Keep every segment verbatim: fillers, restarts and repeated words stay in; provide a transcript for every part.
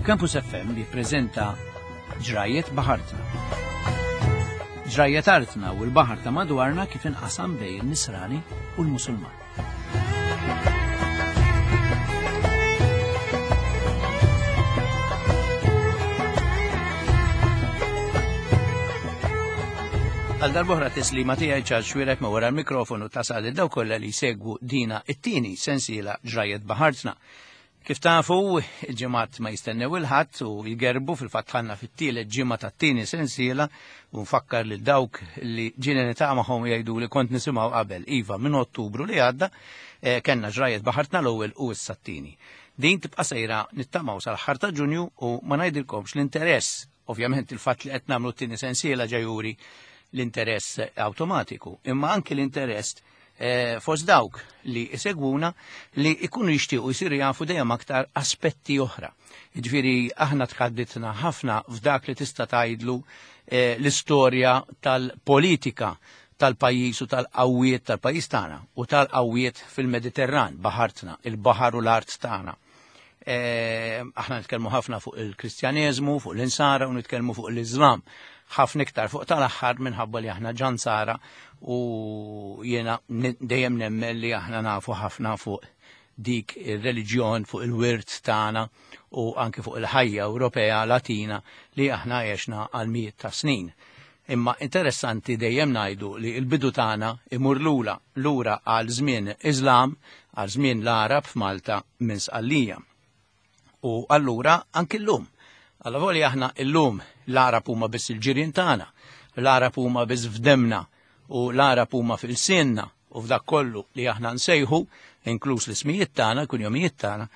Campus F M jippreżenta Ġrajiet Baħartna. Ġrajiet artna u l-baħar ta' madwarna kif inqasam bejn il-Nisrani u l-Musulman. Għal darb'oħra tislima tiegħi Charles Xuereb ma' wara l-mikrofonu tasal lil dawk kollha li jsegwu dina it-tieni sensiela Ġrajiet Baħartna. Kif tafu, il-ġimgħat ma jistennew il-ħadd u jgerbu fil-fatt ħanna fit-tielet ġimgħa tat-tieni sensiela u nfakkar lil dawk li ġieli niltaqa' magħhom jgħidu li kont nisimgħu qabel. Iva, minn Ottubru li għadda, eh, kellna Ġrajiet Baħartna l-ewwel u issa t-tieni. Din tibqa' sejra nittamaw sal-aħħar ta' Ġunju u ma ngħidilkomx l-interess, ovvjament il-fatt li qed nagħmlu t-tieni sensiela ġejjuri l-interess awtomatiku, imma anki l-interess, eh, fost dawk li isegwuna li ikunu jixtiequ jsiru jafu dejjem aktar aspetti oħra. Jiġifieri aħna tħadditna ħafna f'dak li tista' tgħidlu, eh, l-istorja tal-politika tal-pajjiż u tal-qawwiet tal-pajjiż tagħna u tal-qawwiet fil-Mediterran, baħartna, il-baħar u l-art tagħna. Eh, aħna nitkellmu ħafna fuq il-Kristjaneżmu, fuq l-Insara u nitkellmu fuq l-Iżlam. Ħafna iktar fuq tal-aħħar minħabba li aħna ġansara u jiena n-, dejjem nemmen li aħna nafu ħafna fuq dik ir-reliġjon, fuq il-wirt tagħna u anke fuq il-ħajja Ewropea Latina li aħna għexna għal mijiet ta' snin. Imma interessanti dejjem ngħidu li l-bidu tagħna imur lura, lura għal żmien Iżlam, għal żmien l-Arab f'Malta minn Sqallija. U allura anki llum. Alla volja aħna llum l-Arab huma biss il-ġirien tagħna, l-Arab huma biss f'demna u l-Arab huma fil-sinna u f'dak kollu li aħna nsejħu, inkluż l-ismijiet tagħna, kunjomijiet tagħna.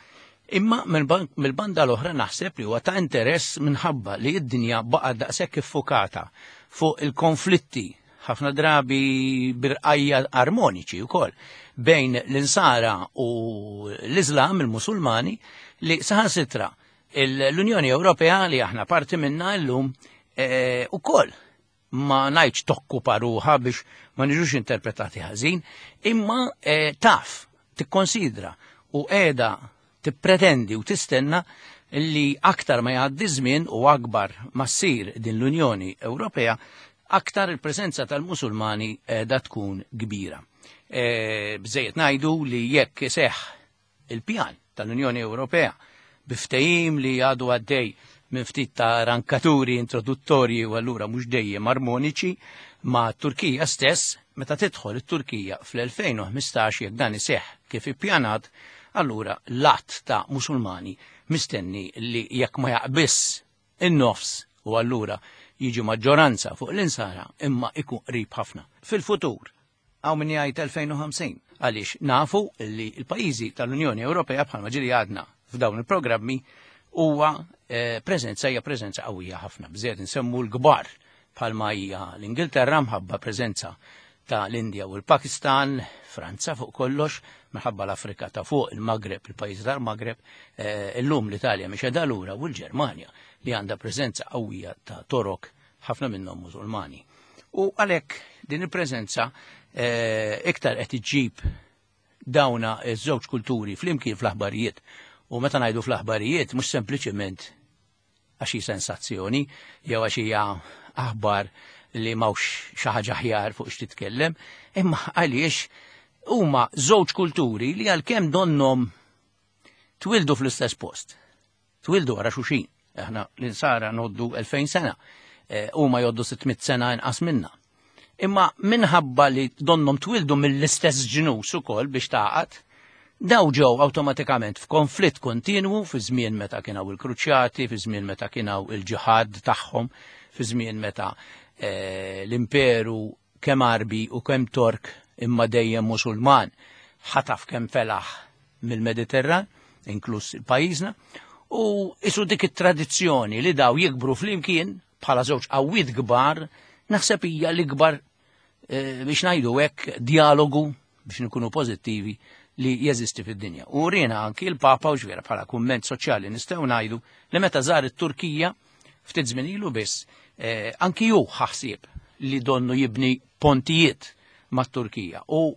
Imma mill-ban-, mill-banda l-oħra naħseb li huwa ta' interess minħabba li d-dinja baqgħet daqshekk iffukata fuq il-konflitti ħafna drabi birqajja armoniċi wkoll bejn l-Insara u l-Iżlam, il-Musulmani, li saħansitra il-, l-Unjoni Ewropea li aħna parti minna llum, eh, ukoll ma ngħidx tokkupa ruħha biex ma niġux interpretati ħażin, imma, eh, taf, tikkonsidra u qiegħda tippretendi u tistenna li aktar ma jgħaddi żmien u akbar ma ssir din l-Unjoni Ewropea, aktar il-preżenza tal-Musulmani qiegħda tkun kbira. Eh, bżejjed ngħidu li jekk iseħħ il-pjan tal-Unjoni Ewropea biftehim li għadu għaddej minn ftit ta' rankaturi introduttorji u allura mhux dejjem armoniċi ma' Turkija stess, meta tidħol it-Turkija fl-elfejn u ħmistax jekk dan iseħħ kif ippjanat, allura l-att ta' Musulmani mistenni li jekk ma jaqbiss in-nofs u allura jiġi maġġoranza fuq l-insara imma ikun qrib ħafna. Fil-futur, hawn min jgħid elfejn u ħamsin, għaliex nafu li l-pajjiżi tal-Unjoni Ewropea bħalma ġieli għadna f'dawn il-programmi huwa, eh, preżenza hija preżenza qawwija ħafna. Bżejjed insemmu l-kbar bħalma hija l-Ingilterra mħabba preżenza ta' l-Indja u l-Pakistan, Franza fuq kollox, minħabba l-Afrika ta' fuq, il-Maghreb, il-pajjiż tal-Maghreb, eh, illum l-Italja mhix qiegħda lura u l-Ġermanja li għandha preżenza qawwija ta' Torok, ħafna minnhom Musulmani. U għalhekk din il-preżenza, eh, iktar qed iġġib dawna ż-żewġ kulturi flimkien fl-aħbarijiet. U meta ngħidu fl-aħbarijiet mhux sempliċiment għax hi sensazzjoni jew għax hija aħbar li m'hawnx xi ħaġa aħjar fuq x'titkellem, imma għaliex huma żewġ kulturi li għalkemm donhom twildu fl-istess post. Twildu wara xulxin. Aħna l-insara noddu elfejn sena, eh, huma joddu sitt mitt sena inqas minna. Imma minħabba li donhom twildu mill-istess ġnus ukoll biex taqgħad, daw ġew awtomatikament f'konflitt kontinwu fi żmien meta kien hawn il-kruċjati, fi żmien meta kien hawn il-ġihad tagħhom, fi żmien meta, eh, l-imperu kemm Arbi u kemm Tork imma dejjem Musulman ħataf kemm felaħ mill-Mediterran, inkluż il-pajjiżna, u isu dik it-tradizzjoni li daw jikbru flimkien bħala żewġ qawwiet kbar, naħseb hija l-ikbar, eh, biex ngħidu hekk dialogu biex nkunu pożittivi li jeżisti fid-dinja. U rina anki l-Papa u ġvera bħala kumment soċjali nistgħu ngħidu li meta żar it-Turkija ftit żmien ilu biss, eh, anki hu ħaħsieb li donnu jibni pontijiet mat-Turkija. U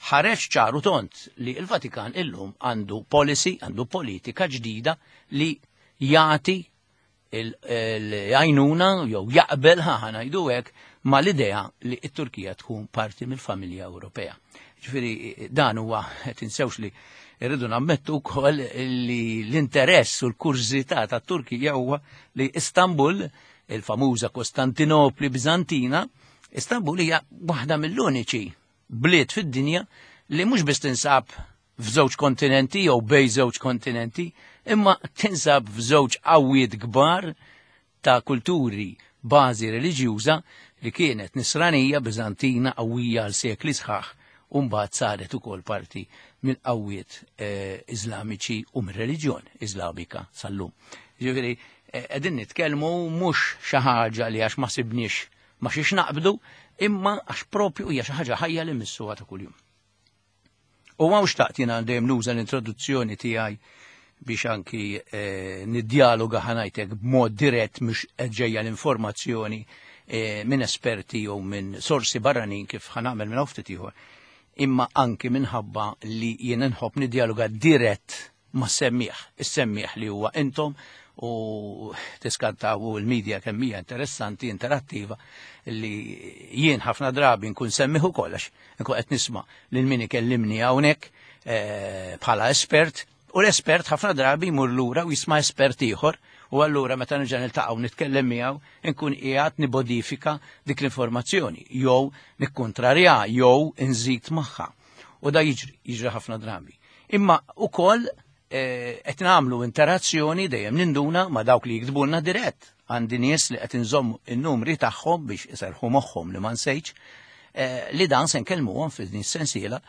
ħareġ ċaru tont li l-Vatikan illum għandu policy, għandu politika ġdida li jagħti l-għajnuna jew jaqbel ħa ngħidu hekk mal-idea li t-Turkija tkun parti mill-familja Ewropea. Ġifieri dan huwa, tinsewx li irridu nammettu wkoll li l-interess u l-kurżità tat-Turkija huwa li Istanbul, il-famuża Kostantinopli Bizantina, Istanbul hija waħda mill-uniċi bliet fid-dinja li mhux biss tinsab f'żewġ kontinenti jew bejn żewġ kontinenti, imma tinsab f'żewġ qawwiet kbar ta' kulturi bażi reliġjuża li kienet nisranija Bizantina qawwija għal sekli sħaħ u mbagħad saret ukoll parti mill-qawwiet eh, Iżlamiċi u mir-reliġjon Iżlamika sal-lum. Ġifieri qegħdin nitkellmu mhux xi ħaġa li għax ma sibniex ma xiex naqbdu, imma għax propju hija xi ħaġa ħajja li missuha ta' kuljum. U hawn xtaqt jiena dejjem nuża l-introduzzjoni tiegħi biex anki eh, niddialoga ħanajtek b'mod dirett mhux ġejja l-informazzjoni eh, minn esperti jew minn sorsi barranin kif ħanagħmel minn ftit ieħor, imma anki minħabba li jien nħobb niddialoga dirett ma' semmieħ, is-semmieħ li huwa intom u tiskantaw l-medja kemm hija interessanti, interattiva, li jien ħafna drabi nkun semmiħ ukoll għax nkun qed nisma' lil min ikellimni hawnhekk bħala espert, u l-espert ħafna drabi jmur lura u jisma' espert ieħor, u allura meta nerġa' niltaqgħu nitkellem miegħu nkun qiegħed nibodifika dik l-informazzjoni jew nikkontrarja jew inżid magħha. U da jiġri, jiġri ħafna drabi. Imma ukoll qed nagħmlu interazzjoni dejjem ninduna ma' dawk li jiktbulna dirett. Għandi nies li qed inżomm in-numri tagħhom biex iserħu moħħhom li ma nsejtx, li dan se nkellmuhom f'din is-sensiela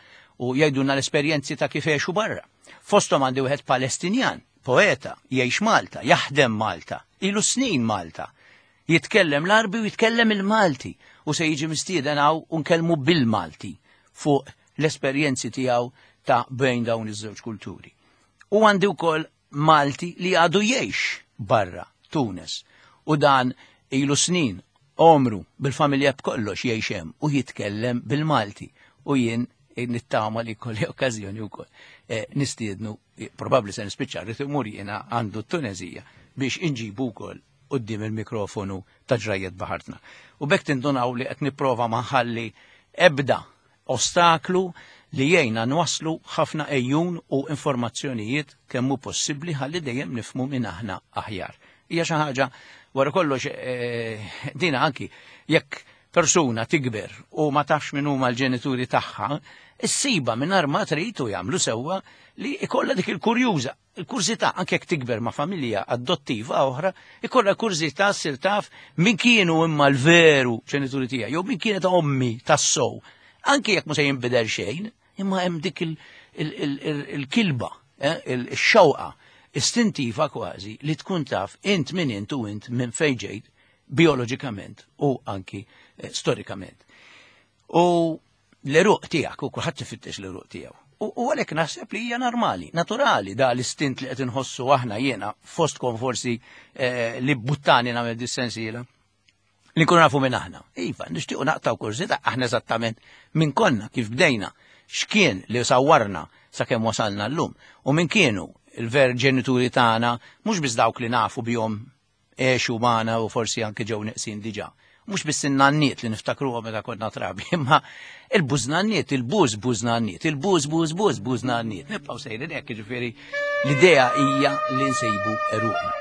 u jgħidulna l-esperjenzi ta' kif għexu barra. Fosthom għandi wieħed Palestinjan, poeta, jgħix Malta, jaħdem Malta, ilu snin Malta, jitkellem l-Arbi u jitkellem il-Malti u se jiġi mistieden hawn u nkellmu bil-Malti fuq l-esperjenzi tiegħu ta' bejn dawn iż-żewġ kulturi. U għandi wkoll Malti li għadu jgħix barra Tunis u dan ilu snin omru bil-familja b'kollox jgħix hemm u jitkellem bil-Malti u jien nittama li kolli okkażjoni wkoll nistiednu, probabbli se nispiċċa rrid imur jiena għandu t-Tunezija biex inġibu wkoll quddiem il-mikrofonu ta' Ġrajjet Baħartna. U bekk tindunaw li qed nipprova ma nħalli ebda ostaklu li jgħinna nwaslu ħafna ejjun u informazzjonijiet kemm hu possibbli ħalli dejjem nifhmu minn aħna aħjar. Hija xi ħaġa wara kollox dina anki jekk persuna tikber u ma tafx min huma l-ġenituri tagħha, issiba mingħajr ma trid u jagħmlu sewwa li ikollha dik il-kurjuża, il-kurżità anke jekk tikber ma' familja adottiva oħra, ikollha kurżità ssir taf min kienu imma l-veru ġenituri tiegħi jew min kienet ommi tas-sow. Anke jekk mhux se jinbidel xejn, imma hemm dik il-kilba, il-xewqa istintiva kważi li tkun taf int min int u int minn fejn ġejt bioloġikament u anki storikament. U l-eruq tiegħek, u kulħadd ifittex l-eruq tiegħu. U għalhekk naħseb li hija normali, naturali da l-istint li qed inħossu aħna jiena fostkom forsi li buttani nagħmel dis-sensiela li nkunu nafu minn aħna. Iva, nixtiequ naqtaw kurżità aħna eżattament minn konna, kif bdejna, x'kien li sawwarna sakemm wasalna llum u minn kienu il-ver ġenituri tagħna, mhux biss dawk li nafu bihom għexu magħna u forsi anke ġew neqsin diġà. Mhux biss in-nanniet li niftakruhom meta konna trabi, imma il-bużnanniet, il-buż bużnanniet, il-buż buż buż bużnanniet. Nibqgħu sejrin hekk, jiġifieri l-idea hija li nsejbu eruqna.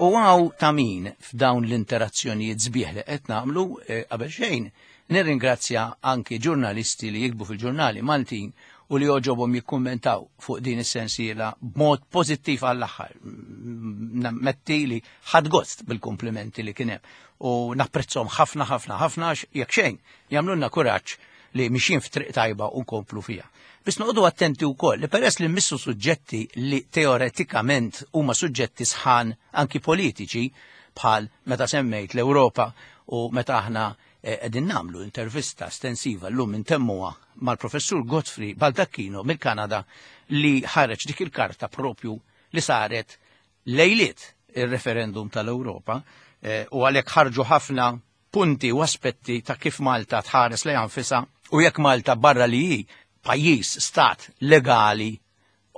U għaw ta' min f'dawn l-interazzjonijiet sbieħ li qed nagħmlu qabel xejn, nirringrazzja anki ġurnalisti li jikbu fil-ġurnali Maltin u li joġobhom jikkummentaw fuq din is-sensiela b'mod pożittiv għall-aħħar. Nammetti li ħadd gost bil-komplimenti li kien hemm u napprezzhom ħafna ħafna ħafna għax jekk xejn jagħmlulna kuraġġ li mixjin f'triq tajba u nkomplu fiha. Biss noqogħdu attenti wkoll li peress li mmissu suġġetti li teoretikament huma suġġetti sħan anki politiċi bħal meta semmejt l-Ewropa u meta aħna qegħdin nagħmlu intervista estensiva llum intemmuha mal-professur Godfrey Baldacchino mill-Kanada li ħareġ dik il-karta propju li saret lejliet il-referendum tal-Ewropa eh, u għalhekk ħarġu ħafna punti u aspetti ta' kif Malta tħares lejha nfisha u jekk Malta barra li hi pajjiż stat legali,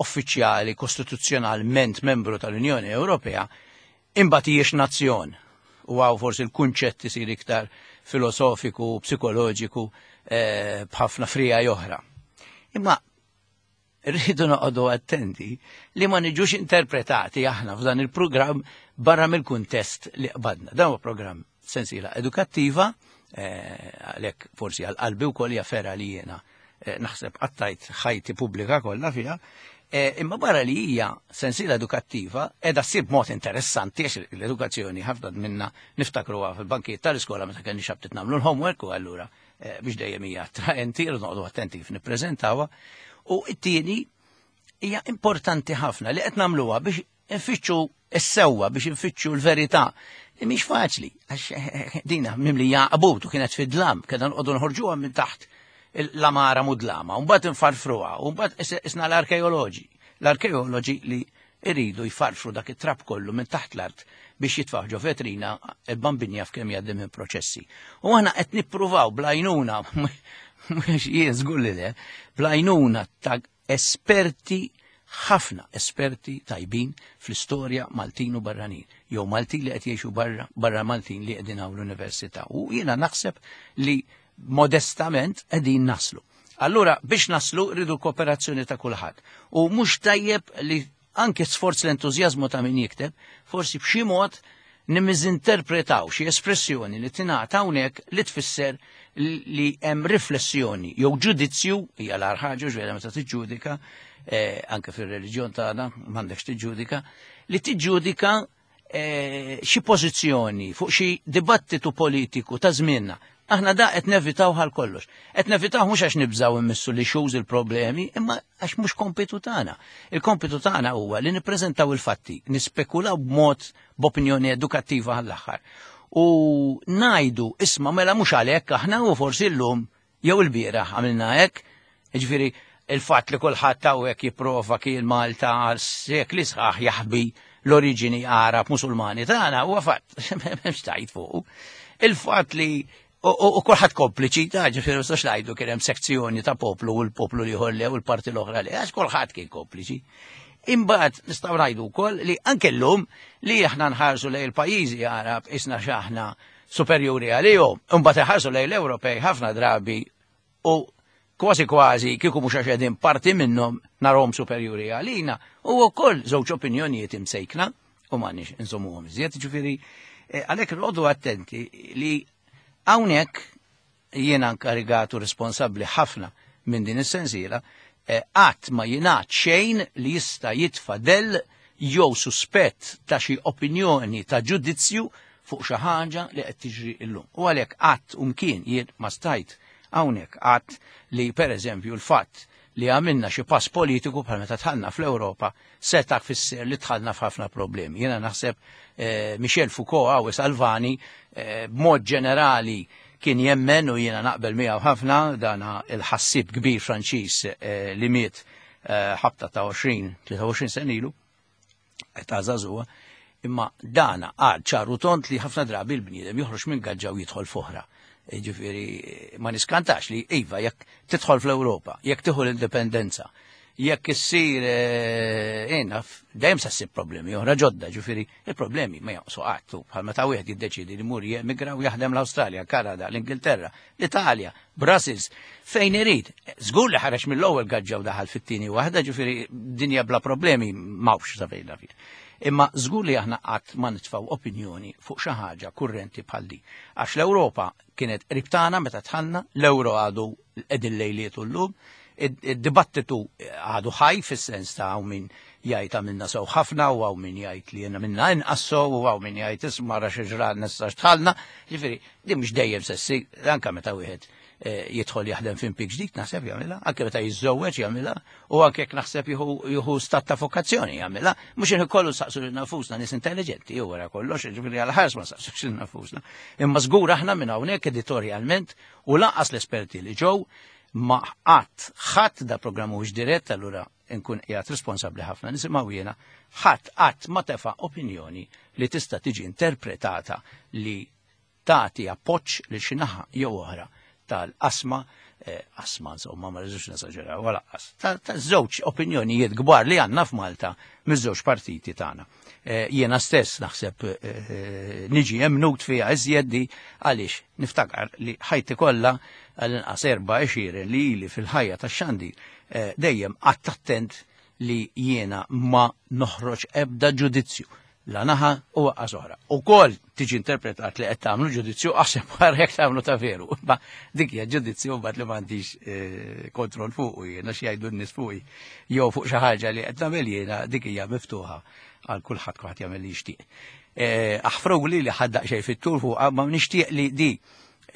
uffiċjali, kostituzzjonalment membru tal-Unjoni Ewropea, imbagħad hijiex nazzjon. U hawn forsi l-kunċett isir iktar filosofiku, psikoloġiku, eh, b'ħafna frija oħra. Imma rridu noqogħdu attenti li ma niġux interpretati aħna f'dan il-programm barra mill-kuntest li qbadna. Dan huwa programm sensiela edukattiva, eh, għalhekk forsi għal qalbi wkoll hija fergħa li jiena eh, naħseb qattajt ħajti pubblika kollha fiha, eh, imma barra li hija sensiela edukattiva qiegħda ssir b'mod interessanti għax l-edukazzjoni ħafna minna niftakruha fil-bankijiet tal-iskola meta kellna xabtit nagħmlu l-homework u allura eh, biex dejjem hija attraenti, irridu noqogħdu attenti kif nippreżentawha. U t-tieni hija importanti ħafna li qed nagħmluha biex nfittxu s-sewwa, biex nfittxu l-verità. Li mhix faċli, għax eh, dina mimlija qabut u kienet fid-dlam, kena nqogħdu nħorġuha minn taħt l-amara mudlama, u mbagħad nfarfruha, u mbagħad isna l-arkeoloġi. L-arkeoloġi li iridu jfarfru dak it-trab kollu minn taħt l-art biex jitfaħ ġo vetrina il-bambinja f'kemm jgħaddi minn proċessi. U aħna qed nippruvaw bl-għajnuna, mhux jien żgur li le, bl-għajnuna ta' esperti, ħafna esperti tajbin fl-istorja Maltin u barranin, jew Maltin li qed jgħixu barra, barra Maltin li qegħdin hawn l-università. U jiena naħseb li modestament qegħdin naslu. Allura biex naslu rridu kooperazzjoni ta' kulħadd. U mhux tajjeb li anke sforz l-entużjażmu ta' min jikteb, forsi b'xi mod nimmiżinterpretaw xi espressjoni li tingħata hawnhekk li tfisser li hemm riflessjoni jew ġudizzju, hija l-agħar ħaġa ġifieri meta tiġġudika, eh, anke fir-reliġjon tagħna m'għandekx tiġġudika, li tiġġudika eh, xi pożizzjoni fuq xi dibattitu politiku ta' żmienna. Aħna da qed nevitaw għal kollox. Qed nevitaw mhux għax nibżaw immissu li xuż il-problemi, imma għax mhux kompitu tagħna. Il-kompitu tagħna huwa li nippreżentaw il-fatti, nispekulaw b'mod b'opinjoni edukattiva għall-aħħar. U ngħidu isma' mela mhux għalhekk aħna u forsi llum jew il-bieraħ għamilna hekk, jiġifieri il-fatt li kulħadd hawnhekk jipprova kien Malta għal sekli sħaħ jaħbi l-oriġini Arab Musulmani tagħna huwa fatt, m'hemmx tgħid fuqu. Il-fatt li u kulħadd kompliċi ta' ġifieri ma ngħidu kien hemm sezzjoni ta' poplu u l-poplu li ieħor u l-parti l-oħra li għax kulħadd kien kompliċi. Imbagħad nistgħu ngħidu wkoll li anke llum li aħna nħarsu lejn il-pajjiżi Arab isna x'aħna superjuri għalihom, imbagħad iħarsu lejn l-Ewropej ħafna drabi u kważi kważi kieku mhux għax qegħdin parti minnhom narhom superjuri għalina u wkoll żewġ opinjonijiet imsejkna u m'għandniex insommuhom iżjed, ġifieri għalhekk noqogħdu attenti li hawnhekk jiena inkarigatu responsabbli ħafna minn din is-sensiela, qatt ma jingħad xejn li jista' jitfa' del jew suspett ta' xi opinjoni ta' ġudizzju fuq xi ħaġa li qed tiġri llum. U għalhekk qatt umkien jien ma stajt hawnhekk qatt li pereżempju l-fatt li għamilna xi pass politiku bħal meta dħalna fl-Ewropa seta' fisser li dħalna f'ħafna problemi. Jiena naħseb eh, Michel Foucault għaw Salvani eh, b'mod ġenerali kien jemmen u jiena naqbel miegħu ħafna dana il-ħassib kbir Franċiż eh, li miet ħabta ta' għoxrin, tlieta u għoxrin sen ilu, ta' żagħżugħa, imma dana għad ċaru tont li ħafna drabi l-bniedem joħroġ minn gaġġa u jidħol f'oħra. Ġifieri ma niskantax li iva jekk tidħol fl-Ewropa, jekk tieħu l-indipendenza, jekk issir eh, dejjem se ssib problemi oħra ġodda, ġifieri il-problemi ma jonqsu qatt bħal meta wieħed jiddeċiedi li mur jemigra u jaħdem l-Awstralja, Kanada, l-Ingilterra, l-Italja, Brussels, fejn irid. Żgur li ħareġ mill-ewwel gaġġa u daħal fit-tieni waħda, ġifieri dinja bla problemi m'hawnx sa fejn naf. Imma żgur li aħna qatt ma nitfgħu opinjoni fuq xi ħaġa kurrenti bħal di. Għax l-Ewropa kienet qrib tagħna meta dħalna, l-ewro għadu qegħdin lejliet llum, id-dibattitu għadu ħaj fis-sens ta' hawn min jgħid għamilna sew ħafna u hawn min jgħid li jiena minna inqas sew u hawn min jgħid isma' ra xi ġran issa x'dħalna. Ġifieri, din mhux dejjem se ssir, anke meta wieħed jidħol jaħdem f'impjieg ġdid naħseb jagħmilha, anke meta jiżżewweġ jagħmilha, u anke jekk naħseb jieħu stat ta' vokazzjoni jagħmilha, mhux inħi kollu saqsu lil nafusna nies intelligenti u wara kollox, ġifieri għal ħars ma saqsux lil nafusna. Imma żgur aħna minn hawnhekk editorjalment u lanqas l-esperti li ġew ma qatt ħadd da programm mhuwiex dirett, allura nkun qiegħed responsabbli ħafna nisimgħu jiena, ħadd qatt ma tefa' opinjoni li tista' tiġi interpretata li tagħti appoġġ lil xi naħa jew oħra tal-qasma, qasma insomma ma rridux nesaġeraw wala qas, ta' żewġ opinjonijiet kbar li għandna f'Malta miż-żewġ partiti tagħna. Jiena stess naħseb niġi emnut fiha iżjed di għaliex niftakar li ħajti kollha għall-inqas erba' għexieren li ili fil-ħajja tax-xandir dejjem qatt attent li jiena ma noħroġ ebda ġudizzju la naħa u waqqas oħra. Ukoll tiġi interpretat li qed tagħmlu ġudizzju aħseb wara jekk tagħmlu ta' veru. Ma dik hija ġudizzju mbagħad li m'għandix kontroll fuq jiena xi jgħidu n-nies fuqi jew fuq xi ħaġa li qed nagħmel jiena, dik hija miftuħa għal kulħadd, kulħadd jagħmel li jixtieq. Aħfruli li ħaddaq xejn fit-tul fuqha, ma nixtieq li di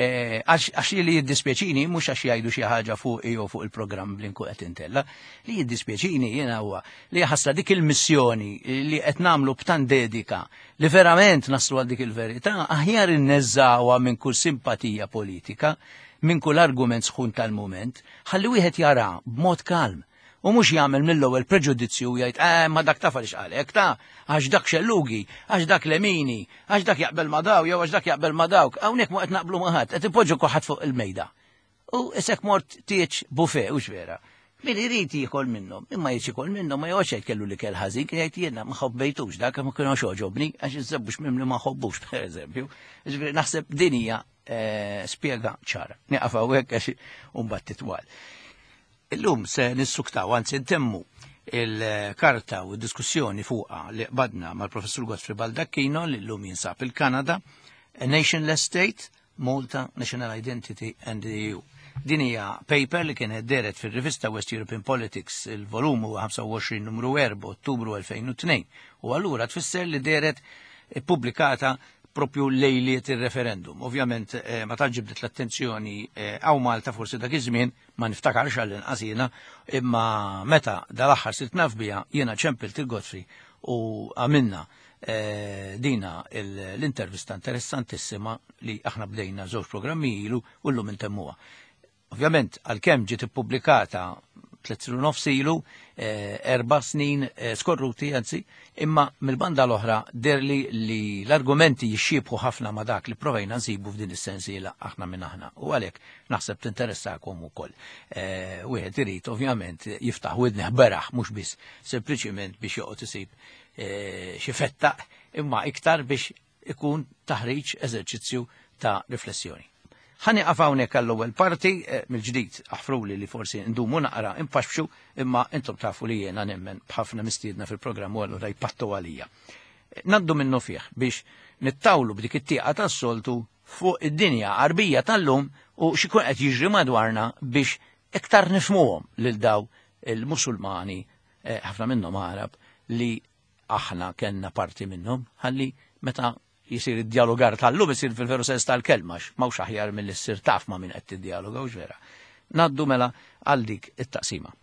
għax li jiddispjaċini mhux għax jgħidu xi ħaġa fuq jew fuq il-programm li nkun qed intella, li jiddispjaċini jiena huwa li ħasra dik il-missjoni li qed nagħmlu b'tant dedika li verament naslu għal dik il-verità, aħjar inneżżawha minn kull simpatija politika, minn kull argument sħun tal-mument, ħalli wieħed jara b'mod kalm. U mhux jagħmel mill-ewwel preġudizzju u jgħid eh ma dak taf għaliex qalek ta' għax dak xellugi, għax dak lemini, għax dak jaqbel ma daw jew għax dak jaqbel ma dawk. Hawnhekk ma qed naqblu ma ħadd, qed ipoġġu kulħadd fuq il-mejda. U isek mort tieġ buffet hux vera. Min irid jiekol minnhom, imma jrid jiekol minnhom ma joqgħodx jgħid kellu li kell ħażin, kien jgħid jiena ma ħobbejtux dak ma kienx għoġobni għax iż-żebbux mimli ma ħobbux pereżempju. Ġifieri naħseb din hija spjega ċara. Nieqaf hawnhekk għax imbagħad titwal. Illum se nissuktaw, anzi ntemmu il-karta u d-diskussjoni fuqha li qbadna mal-Professur Godfrey Baldacchino li llum jinsab il-Kanada, A Nationless State, Malta, National Identity and the E U. Din hija paper li kienet deret fir-rivista West European Politics, il-volum huwa ħamsa u għoxrin numru erba' Ottubru elfejn u tnejn. U allura tfisser li deret ippubblikata propju lejliet il-referendum. Ovvjament ma tantx ġibdet l-attenzjoni għaw Malta forsi dak iż-żmien, ma niftakarx għall-inqas jiena, imma meta dal-aħħar sirt naf biha jiena ċempilt il-Godfrey u għamilna dina l-intervista interessantissima li aħna bdejna żewġ programmi ilu u llum intemmuha. Ovvjament għalkemm ġiet ippubblikata tliet snin u nofs ilu, erba' snin skorruti anzi, imma mill-banda l-oħra derli li l-argumenti jixxiebħu ħafna ma' dak li provajna nsibu f'din is-sensiela aħna minn aħna. U għalhekk naħseb tinteressakom ukoll. Wieħed irid ovvjament jiftaħ widnih beraħ mhux biss sempliċiment biex joqgħod isib xi fettaq, imma iktar biex ikun taħriġ eżerċizzju ta' riflessjoni. Ħa nieqaf hawnhekk għall-ewwel parti, mill-ġdid aħfruli li forsi ndumu naqra impaxxu, imma intom tafu li jiena nemmen b'ħafna mistiedna fil-programm u allura jpattu għalija. Naddu minnu fih biex nittawlu b'dik it-tieqa tas-soltu fuq id-dinja Għarbija tal-lum u x'ikun qed jiġri madwarna biex iktar nifhmuhom lil daw il-Musulmani, ħafna minnhom Għarab, li aħna kellna parti minnhom, ħalli meta jisir id-dialogar tal-lum isir fil-veru sens tal-kelma, m'hawnx aħjar mill-li ssir taf ma' min qed tiddialoga, hux vera. Naddu mela għal dik it-taqsima.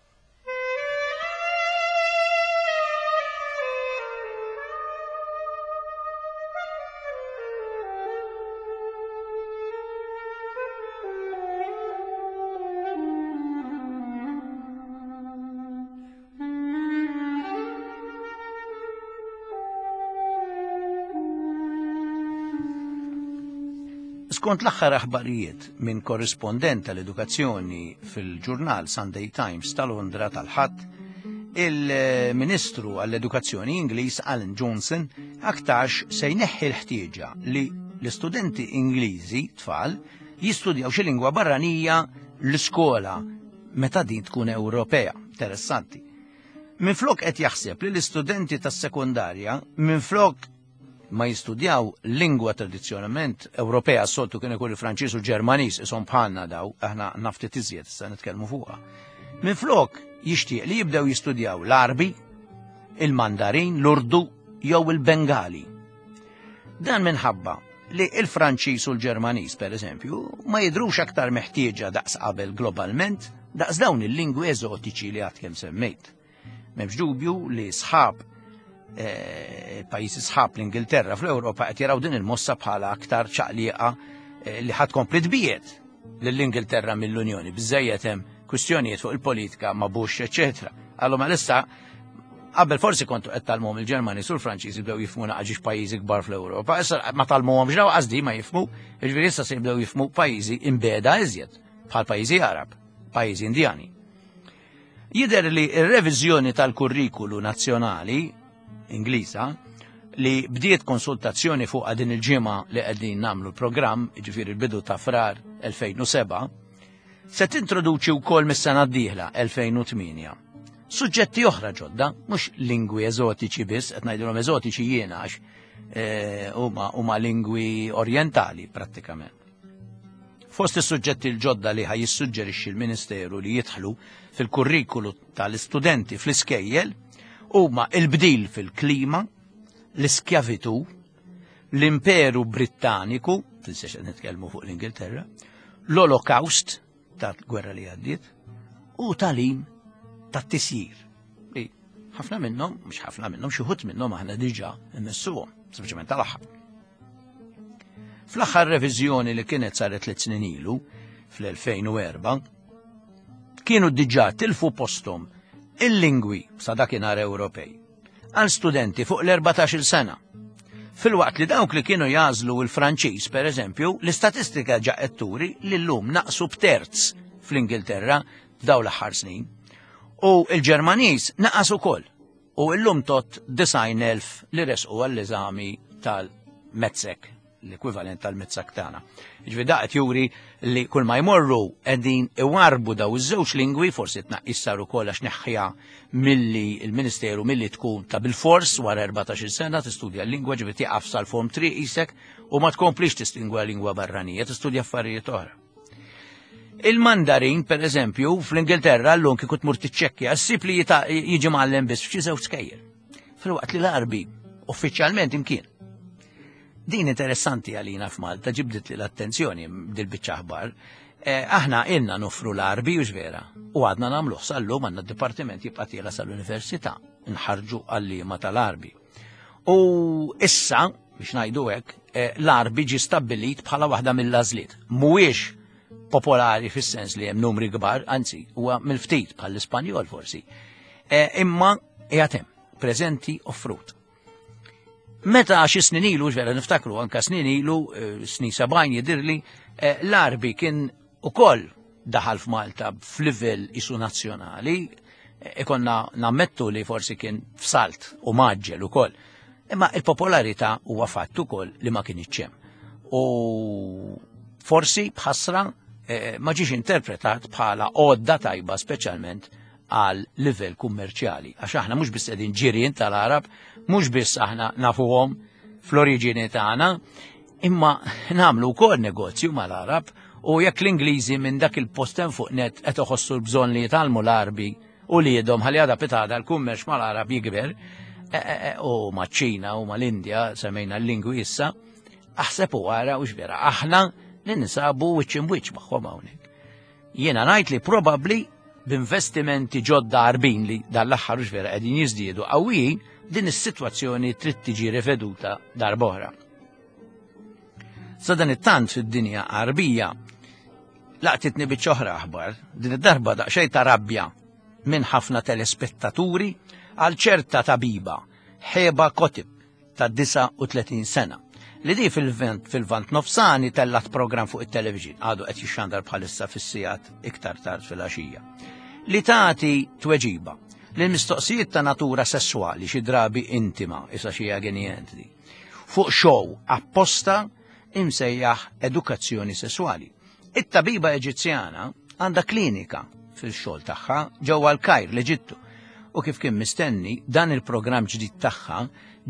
Skont l-aħħar aħbarijiet minn korrispondent tal-edukazzjoni fil-ġurnal Sunday Times ta' Londra tal-Ħadd, il-Ministru għall-Edukazzjoni Ingliż Alan Johnson aktarx se jneħħi l-ħtieġa li l-istudenti Ingliżi tfal jistudjaw xi lingwa barranija l-iskola meta din tkun Ewropea. Interessanti. Minflok qed jaħseb li l-istudenti tas-sekondarja minflok ma jistudjaw lingwa tradizzjonalment Ewropea, s-soltu kien ikun il-Franċiż u l-Ġermaniż, ishom bħalna daw, aħna naftit iżjed issa nitkellmu fuqha. Minflok jixtieq li jibdew jistudjaw l-Għarbi, il-Mandarin, l-Urdu jew il-Bengali. Dan minħabba li il-Franċiż u l-Ġermaniż, per eżempju, ma jidhrux aktar meħtieġa daqs qabel globalment daqs dawn il-lingwi eżotiċi li għad kemm semmejt. M'hemmx dubju li sħab pajjiżi sħab l-Ingilterra fl-Ewropa qed jaraw din il-mossa bħala aktar ċaqliqa li ħadd kompli tbiet lill-Ingilterra mill-Unjoni. Biżżejjed hemm kwistjonijiet fuq il-politika ma' Bush, eċċetera. Għallu ma issa qabel forsi kontu qed tgħallmuhom il-Ġermaniż u l-Franċiż jibdew jifhmu naqra pajjiżi kbar fl-Ewropa. Issa ma tgħallmuhomx daw qasdi ma jifhmu, jiġifieri issa se jibdew jifhmu pajjiżi imbiegħda iżjed, bħal pajjiżi Arab, pajjiżi Indjani. Jidher li r-reviżjoni tal-kurrikulu nazzjonali Ingliża li bdiet konsultazzjoni fuq din il-ġimgħa li qegħdin nagħmlu l-programm, jiġifieri l-bidu ta' Frar elfejn u sebgħa, se tintroduċi wkoll mis-sena d-dieħla elfejn u tmienja suġġetti oħra ġodda, mhux lingwi eżotiċi biss, qed ngħidilhom eżotiċi jiena għax eh, huma huma lingwi orientali prattikament. Fost is-suġġetti l-ġodda li ħaj jissuġġerixxi l-Ministeru li jidħlu fil-kurrikulu tal-istudenti fl-iskejjel huma il-bdil fil-klima, l-iskjavitu, l-Imperu Brittaniku, tinsex qed nitkellmu fuq l-Ingilterra, l-Olokawst tal-gwerra li għaddiet, u tagħlim tat-tisjir. Li ħafna minnhom, mhux ħafna minnhom, xi wħud minnhom aħna diġà immissuhom, sempliċement tal-aħħar. Fl-aħħar reviżjoni li kienet saret tliet snin ilu, fl-elfejn u erbgħa, kienu diġà tilfu postom il-lingwi sa dakinhar Ewropej għal studenti fuq l-erbatax-il sena. Filwaqt li dawk li kienu jagħżlu il-Franċiż, per eżempju, l-istatistika ġa qed turi li llum naqsu b'terz fl-Ingilterra f'daw l-aħħar snin. U il-Ġermaniż naqas ukoll. U llum tot disgħin elf li resqu għall-eżami tal-MATSEC, l-ekwivalent tal-MATSEC tagħna. Ġifieri da qed juri li kull ma jmorru qegħdin iwarbu daw iż-żewġ lingwi, forsi tnaqqis sar ukoll għax neħħja milli il-Ministeru milli tkun ta' bil-fors wara erbatax-il sena tistudja l-lingwa, ġifieri tieqaf sal-form three isek u ma tkomplix tistingwa lingwa barranija, tistudja affarijiet oħra. Il-Mandarin, per eżempju, fl-Ingilterra l-lum kieku tmur tiċċekkja, ssib li jita- jiġi mgħallem biss f'xi żewġ skejjel. Filwaqt li l-Arbi uffiċjalment imkien. Din interessanti għalina f'Malta, ġibdit li l-attenzjoni dil-biċċa aħbar. Eh, aħna ilna nofru l-Arbi u vera, u għadna nagħmluh sal-lum, għandna d-dipartiment jibqa' tiela sal-università, nħarġu għalliema tal-Arbi. U issa, biex ngħidu hekk, eh, l-Arbi ġi stabbilit bħala waħda mill-għażliet. Mhuwiex popolari fis-sens li hemm numri kbar, anzi, huwa mill-ftit bħall-Ispanjol forsi. Eh, imma qiegħed hemm, preżenti offrut. Meta xi snin ilu, vera niftakru anka snin ilu, eh, snin sebgħin jidirli, eh, l-Arbi kien ukoll daħal f'Malta f'livell isu nazzjonali, eh, ikonna nammettu li forsi kien f'salt u mgħaġġel ukoll. Imma il-popolarità huwa fatt ukoll li ma kienx hemm. U forsi bħasra eh, ma ġiex interpretat bħala għodda tajba speċjalment għal livell kummerċjali. Għax aħna mhux biss qegħdin ġirien tal-Arab, mhux biss aħna nafuhom fl-oriġini tagħna, imma nagħmlu wkoll negozju mal-Arab u jekk l-Ingliżi minn dak il-post hemm fuq net qed iħossu l-bżonn li jitgħallmu l-Arbi u li jedhom ħalli għada pitgħada l-kummerċ mal-Arab jikber, e, e, e, u maċ-Ċina u mal-Indja, semmejna l-lingwi issa, aħseb u għara u x'vera, aħna li ninsabu wiċċ imb'wiċċ magħhom hawnhekk. Jiena ngħid li probabbli b'investimenti ġodda Għarbin li dal-aħħar u vera qegħdin jiżdiedu qawwijin, din is-sitwazzjoni trid tiġi riveduta darb'oħra. Sa dan it-tant fid-dinja Għarbija laqtitni biċċa oħra aħbar, din id-darba daqsxejn ta' rabbja minn ħafna telespettaturi għal ċerta tabiba, Heba Kotib, ta' disgħa u tletin sena, li di fil-vent fil-Lvant Nofsani tellat program fuq it-television, għadu qed jixxandar bħalissa fis-sigħat iktar tard fil-għaxija, li tagħti tweġiba lil mistoqsijiet ta' natura sessuali, xi drabi intima, issa xi di, fuq show apposta imsejjaħ edukazzjoni sessuali. It-tabiba Eġizzjana għandha klinika fil-xogħol tagħha ġewwa l-Kajr, l-Eġittu. U kif kien mistenni, dan il-programm ġdid tagħha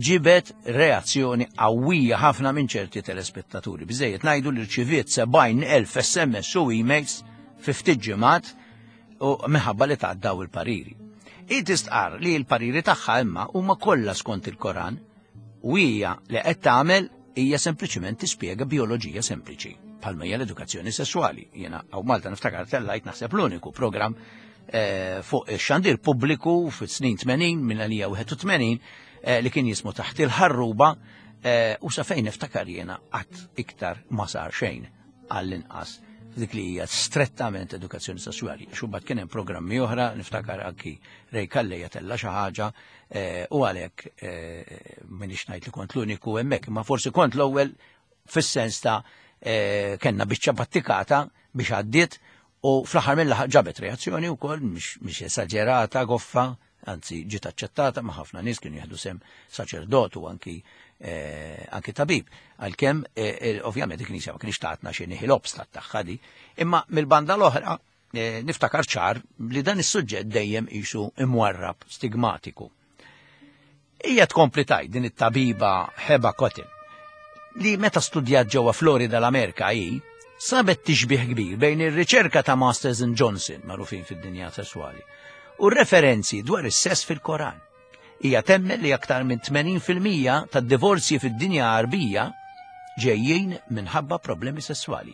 ġibet reazzjoni qawwija ħafna minn ċerti telespettaturi. Biżejjed ngħidu li rċiviet sebgħin elf S M S u emails fi ftit ġimgħat u minħabba li tgħaddaw il-pariri. I tistqar li l-pariri tagħha imma huma kollha skont il-Koran u hija li qed tagħmel hija sempliċiment tispjega bioloġija sempliċi bħalma hija l-edukazzjoni sessuali. Jiena hawn Malta niftakar tellajt naħseb l-uniku programm eh, fuq ix-xandir pubbliku fis-snin tmenin minn għalija wieħed u tmenin eh, li kien jismu Taħt il-Ħarruba eh, u sa fejn niftakar jiena qatt iktar ma sar xejn għall-inqas Dik li hija strettament edukazzjoni sesswali. Xubbat kien hemm programmi oħra, niftakar anki Ray Calleja tella xi ħaġa, u għalhekk m'iniex ngħid li kont l-uniku hemmhekk, imma forsi kont l-ewwel fis-sens ta' kellna biċċa battikata biex għaddiet u fl-aħħar mill-aħħar ġabet reazzjoni wkoll mhix esaġerata goffa, anzi ġiet aċċettata ma' ħafna nies kienu jieħdu sem saċerdot u anki anki tabib. Għalkemm ovvjament il-Knisja ma kienx tatna xi nihil obstat tagħha di, imma mill-banda l-oħra niftakar ċar li dan is-suġġett dejjem qisu imwarrab stigmatiku. Hija tkompli tgħid din it-tabiba Heba Kotin li meta studjat ġewwa Florida l-Amerika hi sabet tixbih kbir bejn ir-riċerka ta' Masters and Johnson magħrufin fid-dinja sesswali u referenzi dwar is-sess fil-Koran. Hija temmen li aktar minn tmenin fil-mija tad-divorzji fid-dinja Għarbija ġejjin minħabba problemi sesswali.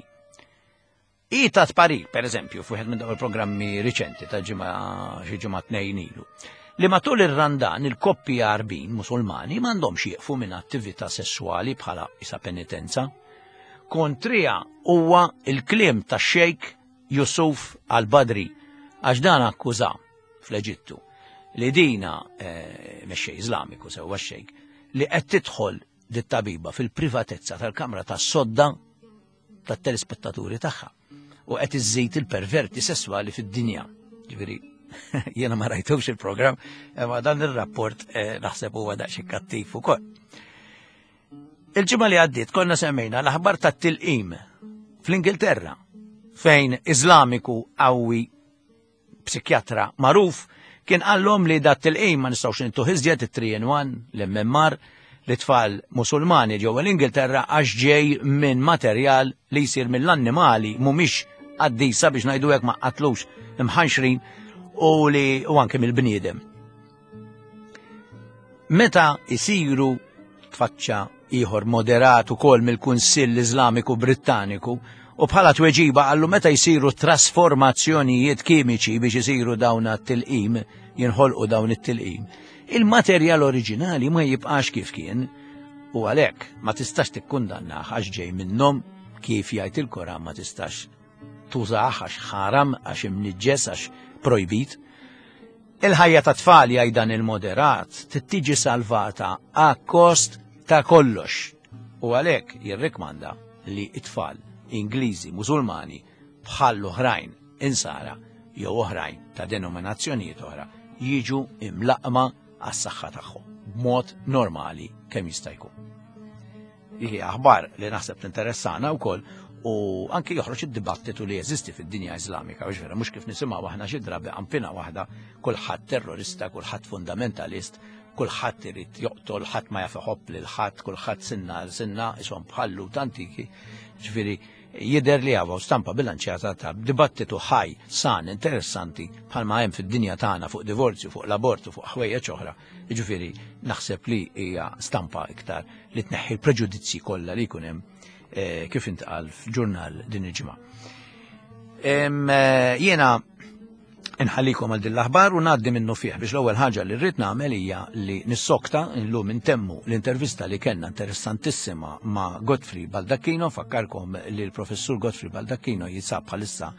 Hi tat parir, per eżempju, f'wieħed minn dawn il-programmi riċenti ta' ġimgħa xi ġimgħa tnejn ilu, li matul ir-Randan il-koppji Għarbin Musulmani m'għandhomx jieqfu minn attività sesswali bħala isa penitenza. Kontrija huwa il-kliem tax-Xejk Yusuf al-Badri, għax dan akkuża fl-Eġittu li dina mexxej Iżlamiku sewwa x-xejk li qed tidħol dit-tabiba fil-privatezza tal-kamra tas-sodda tat-telespettaturi tagħha u qed iżżid il-perverti sesswali fid-dinja. Ġifieri jiena ma rajtux il-programm, imma dan ir-rapport naħseb huwa daqsxejn kattiv ukoll. Il-ġimgħa li għaddiet konna semmejna l-aħbar tat-tilqim fl-Ingilterra fejn Iżlamiku qawwi psikjatra magħruf kien qallhom li dat tilqim ma nistgħux nintuh iżjed it-three in one, l-M M R, li tfal Musulmani ġewwa l-Ingilterra għax ġej minn materjal li jsir mill-annimali mhumiex qaddisa biex ngħidu hekk ma qatlux imħanxrin u li u anke mill-bniedem. Meta isiru tfaċċa ieħor moderat ukoll mill-Kunsill Iżlamiku Brittaniku u bħala tweġiba qallu meta jsiru trasformazzjonijiet kimiċi biex isiru dawn it-tilqim, jinħolqu dawn it-tilqim, il-materjal oriġinali ma jibqax kif kien u għalhekk ma tistax tikkundannah għax ġej minnhom kif jgħid il-Koran ma tistax tużah għax ħaram, għax imniġġes, għax projbit. Il-ħajja ta' tfal jgħid dan il-moderat tittiġi salvata a kost ta' kollox u għalhekk jirrikmanda li t-tfal Ingliżi Musulmani bħal oħrajn insara jew oħrajn ta' denominazzjonijiet oħra jiġu imlaqma għas-saħħa tagħhom b'mod normali kemm jista' jkun. Hi aħbar li naħseb tinteressana wkoll u anki joħroġ id-dibattitu li jeżisti fid-dinja Iżlamika, biex vera mhux kif nisimgħu aħna xi drabi qampina waħda, kulħadd terrorista, kulħadd fundamentalist, kulħadd irid joqtol, ħadd ma jaf iħobb lil ħadd, kulħadd sinna għal sinna, ishom bħallu antiki. Ġifieri jidher li hawn stampa bilanċjata ta' dibattitu ħaj, san, interessanti bħalma hemm fid-dinja tagħna fuq divorzju, fuq l-abortu, fuq ħwejjeġ oħra. Jiġifieri naħseb li hija stampa iktar li tneħħi l-preġudizzji kollha li jkun hemm kif intqal f'ġurnal din il-ġimgħa. Jiena nħallikom għal din l-aħbar u ngħaddi minnu fih biex l-ewwel ħaġa li rrid nagħmel hija li nissokta illum intemmu l-intervista li kellna interessantissima ma' Godfrey Baldacchino. Fakkarkom li l-professur Godfrey Baldacchino jinsab bħalissa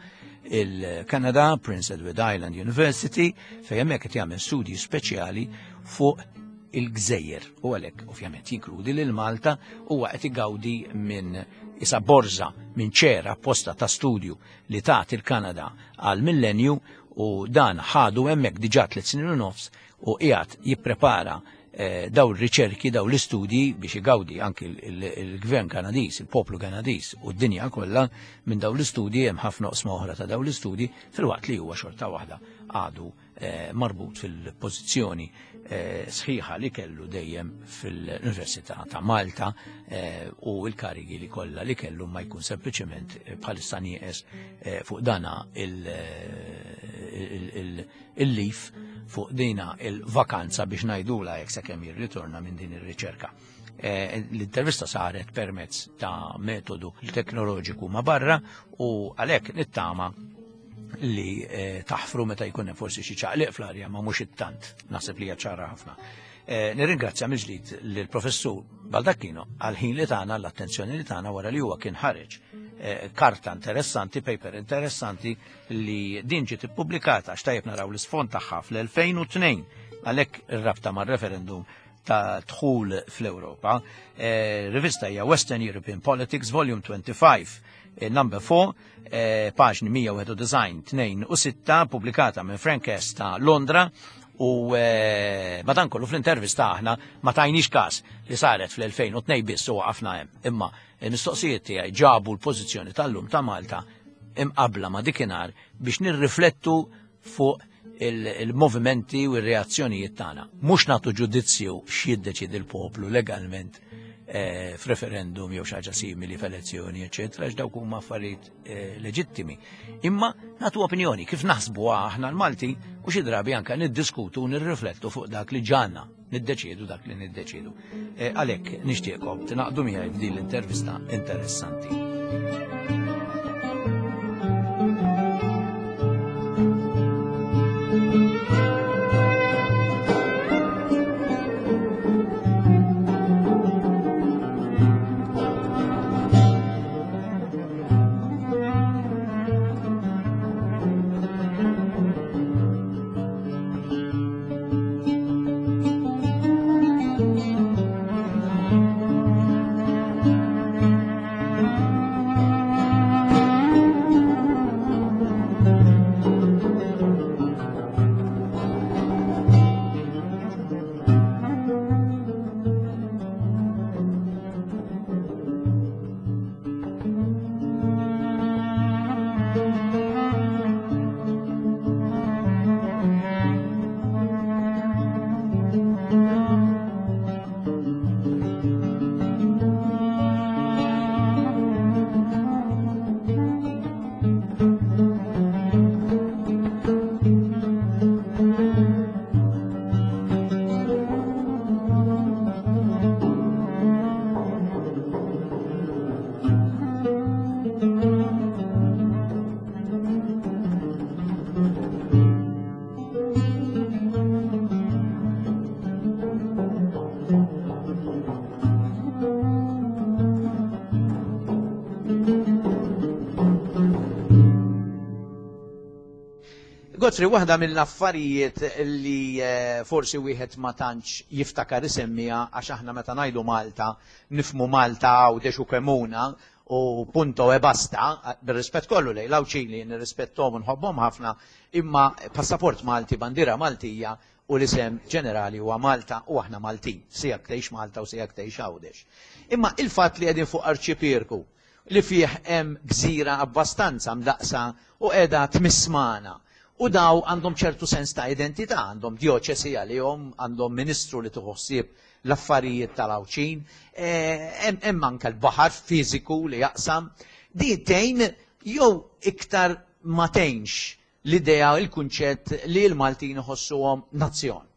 il-Kanada, Prince Edward Island University, fejn hemmhekk qed jagħmel studji speċjali fuq il-gżejjer u għalhekk ovvjament jinkludi lil Malta. Huwa qed igawdi minn isa borża minn ċera apposta ta' studju li tagħti il-Kanada għal millenju u dan ħadu hemmhekk diġà tliet snin u nofs u qiegħed jipprepara, eh, daw ir-riċerki, daw l-istudji biex igawdi anki il-gvern Kanadiż, il-poplu Kanadiż u d-dinja kollha minn daw l-istudji. Hemm ħafna oqsma oħra ta' daw l-istudji filwaqt li huwa xorta waħda għadu, eh, marbut fil-pożizzjoni, eh, sħiħa li kellu dejjem fil-Università ta' Malta, eh, u l-karigi li kollha li kellu ma jkun sempliċement, eh, bħalissa nieqes, eh, fuq dana il-, il-, il-, il-lif fuq dina il-vakanza biex ngħidula jekk sakemm jirritorna minn din ir-riċerka. Eh, l-intervista saret permezz ta' metodu teknoloġiku ma' barra u għalhekk nittama li, eh, taħfru meta jkun hemm forsi xi ċaqliq fl-arja, ma mhux it-tant, naħseb li hija ċara ħafna. Eh, nirringrazzja mill-ġdid lill-professur Baldacchino għal ħin li tagħna, l-attenzjoni li tagħna wara li huwa kien ħareġ eh, karta interessanti, paper interessanti li din ġiet ippubblikata għax tajjeb naraw l-isfond tagħha fl-elfejn u tnejn, għalhekk ir-rabta mar-referendum ta' dħul fl-Ewropa. Eh, rivista hija Western European Politics, Volume twenty-five, eh, number four, eh, paġni mija wieħed u disgħin, tnejn u sitta, pubblikata minn Frank Hess ta' Londra. U, eh, madankollu fl-intervista aħna ma tajniex każ li saret fl-elfejn u tnejn biss u waqafna hemm. Imma il-mistoqsijiet tiegħi ġabu l-pożizzjoni tal-lum ta' Malta imqabla ma' dikinhar biex nirriflettu fuq il-, il-movimenti u r-reazzjonijiet tagħna. Mhux nagħtu ġudizzju x'jiddeċiedi l-poplu legalment, eh, f'referendum jew xi ħaġa simili f'elezzjoni, eċċetera, għax dawk huma affarijiet, eh, leġittimi. Imma nagħtu opinjoni kif naħsbu aħna l-Malti u xi drabi anke niddiskutu u nirriflettu fuq dak li ġanna, niddeċiedu dak li niddeċiedu. Eh, għalhekk nixtieqkom tingħaqdu miegħi f'din l-intervista interessanti. Godfrey, waħda mill-affarijiet li, eh, forsi wieħed ma tantx jiftakar isemmiha, għax aħna meta ngħidu Malta, nifmu Malta Għawdex u Kemuna u punto e basta, bir-rispett kollu lejn l-Għawdxin li nirrispettom u nħobbhom ħafna, imma passaport Malti, bandiera Maltija u l-isem ġenerali huwa Malta u aħna Maltin, sijak tgħix Malta u sijak tgħix Għawdex. Imma il-fatt li qegħdin fuq arċipierku li fih hemm gżira abbastanza mdaqsa u qiegħda tmissmana, u daw għandhom ċertu sens ta' identità, għandhom dioċesi għalihom, għandhom ministru li tħossib l-affarijiet tal-Għawdxin, eh, hemm, hemm anke l-baħar fiżiku li jaqsam. Din tgħin jew iktar ma tgħinx l-idea, il-kunċett li l-Maltin iħossuhom nazzjon?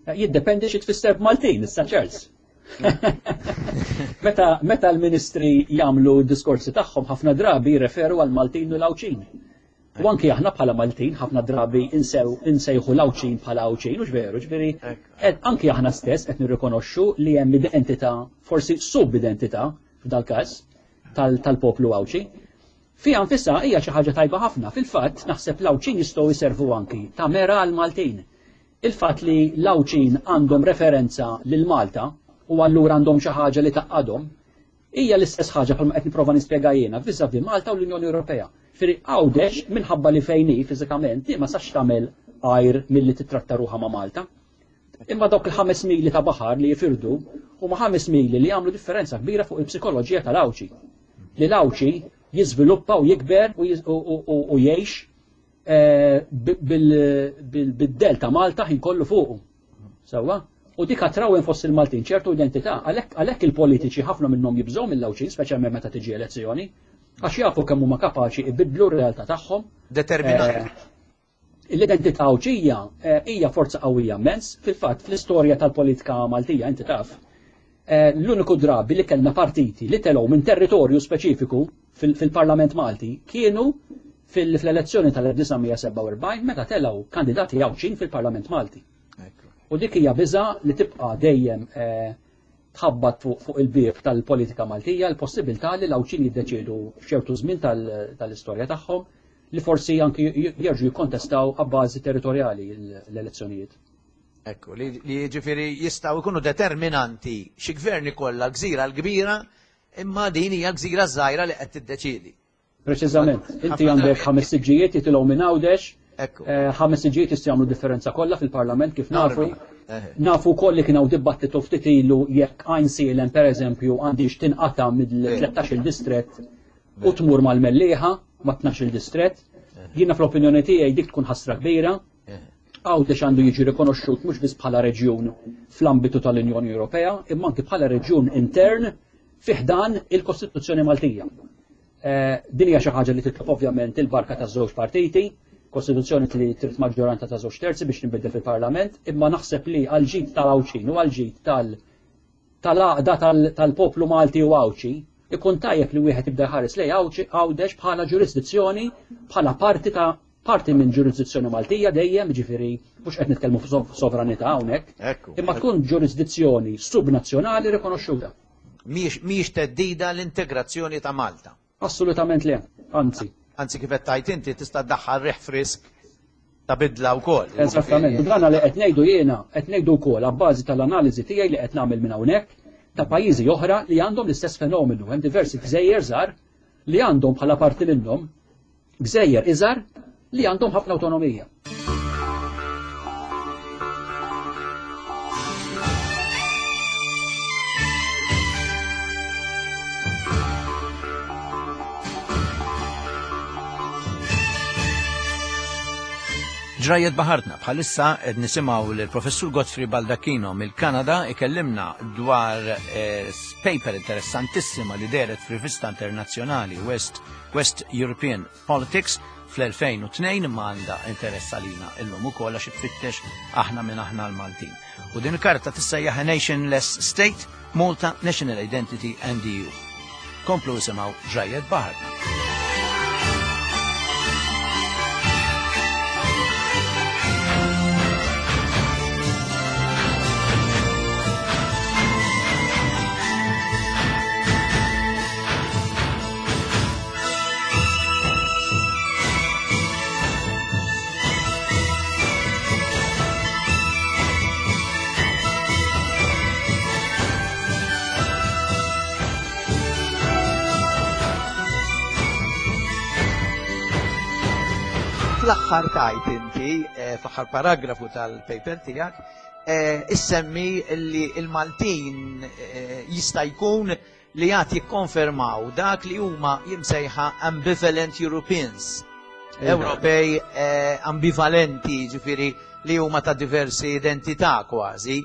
Eh, jiddependi xi tfisser b'Maltin, issa Charles. Meta, meta l-ministri jagħmlu d-diskorsi tagħhom ħafna drabi jirreferu għal Maltin u l-Għawdxin. U anki aħna bħala Maltin ħafna drabi insew, insejħu l-Għawdxin bħala Għawdxin, hux veru, ġifieri, Ekk. ed, anki aħna stess qed nirrikonoxxu li hemm identità, forsi sub-identità f'dal-każ tal-, tal-poplu Għawdxi. Fiha nfisha hija xi ħaġa tajba ħafna. Fil-fatt naħseb l-Għawdxin jistgħu jservu anki ta' mera għal Maltin. Il-fatt li l-Għawdxin għandhom referenza lil Malta u allura għandhom xi ħaġa li taqgħadhom, hija l-istess ħaġa bħalma qed nipprova nispjega jiena vis-à-vis Malta u l-Unjoni Ewropea. Firri Għawdex minħabba li fejn hi fiżikament ma sax tagħmel għajr milli titratta ruħha ma' Malta. Imma dawk il-ħames mili ta' baħar li jifirdu huma ħames mili li jagħmlu differenza kbira fuq il-psikoloġija tal-Għawdxi. Li l-Għawdxi jiżviluppa u jikber u jiż-, u, u, u, u jgħix, eh, bi-, bil-, bil-, bid-del ta' Malta ħin kollu fuqu. Sewwa? U dik atrawin fost il-Maltin ċertu identità, għalhekk, għalhekk il-politiċi ħafna minnhom jibżgħu mill-Għawdxin, speċjalment meta tiġi elezzjoni, għax jafu kemm huma kapaċi jbiddlu r-realtà tagħhom. Determinati. Eh, l-identità Għawdxija, eh, hija forza qawwija immens. Fil-fatt, fl-istorja tal-politika Maltija, inti taf, eh, l-uniku drabi li kellna partiti li telgħu minn territorju speċifiku fil-, fil-Parlament Malti kienu fil-, fl-elezzjoni tal-elf disa' mija sebgħa u erbgħin meta telgħu kandidati Għawdxin fil-Parlament Malti. U dik hija biża' li tibqa' dejjem, eh, tħabbat fuq il-bieb tal-politika Maltija l-possibilità li l-Għawdxin jiddeċiedu f'ċertu żmien tal-istorja tagħhom li forsi anki jerġgħu jikkontestaw għabbażi territorjali l-elezzjonijiet. Ekku, li jiġifieri jistgħu jkunu determinanti xi gvern ikollha gżira l-kbira, imma din hija gżira żgħira li qed tiddeċiedi. Preċiżament, inti għandek ħames siġġijiet jitilgħu minn Għawdex, ħames siġġijiet jistgħu jagħmlu differenza kollha fil-Parlament kif nafu. Nafu wkoll li kien hawn dibattitu ftit ilu jekk Għajnsielem pereżempju għandix tinqata' mill-tlettax-il distrett u tmur mal-Mellieħa ma' tnax-il distrett. Jiena fl-opinjoni tiegħi dik tkun ħasra kbira. Għawdex għandu jiġi rikonoxxut mhux biss bħala reġjun fl-ambitu tal-Unjoni Ewropea, imma anki bħala reġjun intern fi ħdan il-Kostituzzjoni Maltija. Din hija xi ħaġa li titlob ovvjament il-barka taż-żewġ partiti, Kostituzzjoni li trid maġġoranza ta' żewġ terzi biex tinbidel fil-Parlament, imma naħseb li għal ġid tal-Għawdxin u għal ġid tal-għaqda tal-poplu Malti u Għawdxi, ikun tajjeb li wieħed jibda jħares lejn Għawdex bħala ġurisdizzjoni, bħala parti ta' parti minn ġurisdizzjoni Maltija dejjem, ġifieri mhux qed nitkellmu f'sovranità hawnhekk, imma tkun ġurisdizzjoni subnazzjonali rikonoxxuta. Mhijiex theddida l-integrazzjoni ta' Malta. Assolutament le, anzi. Anzi kif qed tgħid inti tista' ddaħħal riħ frisk ta' bidla wkoll. Eżattament. U dan li qed ngħidu jiena, qed ngħidu wkoll abbażi tal-analiżi tiegħi li qed nagħmel minn hawnhekk ta' pajjiżi oħra li għandhom l-istess fenomenu. Hemm diversi gżejjer żgħar li għandhom bħala parti minnhom gżejjer iżgħar li għandhom ħafna awtonomija. Ġrajiet Baħartna bħalissa qed nisimgħu lill-Professur Godfrey Baldacchino mill-Kanada ikellimna dwar eh, paper interessantissima li dehret f'rivista internazzjonali West, West European Politics fl-elfejn u tnejn, imma għandha interess għalina illum ukoll għax tfittex aħna minn aħna l-Maltin. U din il-karta tissejjaħ A Nationless State, Malta, National Identity and E U. Komplu isimgħu Ġrajiet Baħartna. Fl-aħħar tajt inti, eh, fl-aħħar paragrafu tal-paper tiegħek, eh, issemmi li l-Maltin, eh, jista' jkun li għad jikkonfermaw dak li huma jimsejħa ambivalent Europeans. Iva. Ewropej, eh, ambivalenti, ġifieri li huma ta' diversi identità kważi.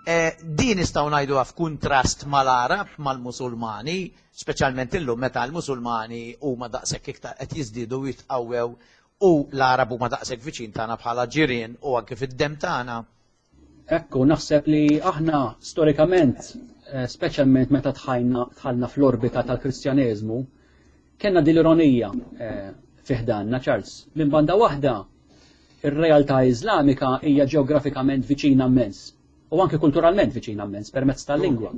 Eh, din nistgħu ngħiduha f'kuntrast mal-Arab, mal-Musulmani, speċjalment illum meta l-Musulmani huma daqshekk iktar qed jiżdiedu u jitqawwew u l-Arab huma daqshekk viċin tagħna bħala ġirien u anke fid-dem tagħna. Ekku, naħseb li aħna storikament, eh, speċjalment meta tħajna, tħallna fl-orbita tal-Kristjaneżmu, kellna din l-ironija, eh, fi ħdanna, Charles. Minn banda waħda, ir-realtà Iżlamika hija ġeografikament viċina immens u anke kulturalment viċina immens permezz tal-lingwa.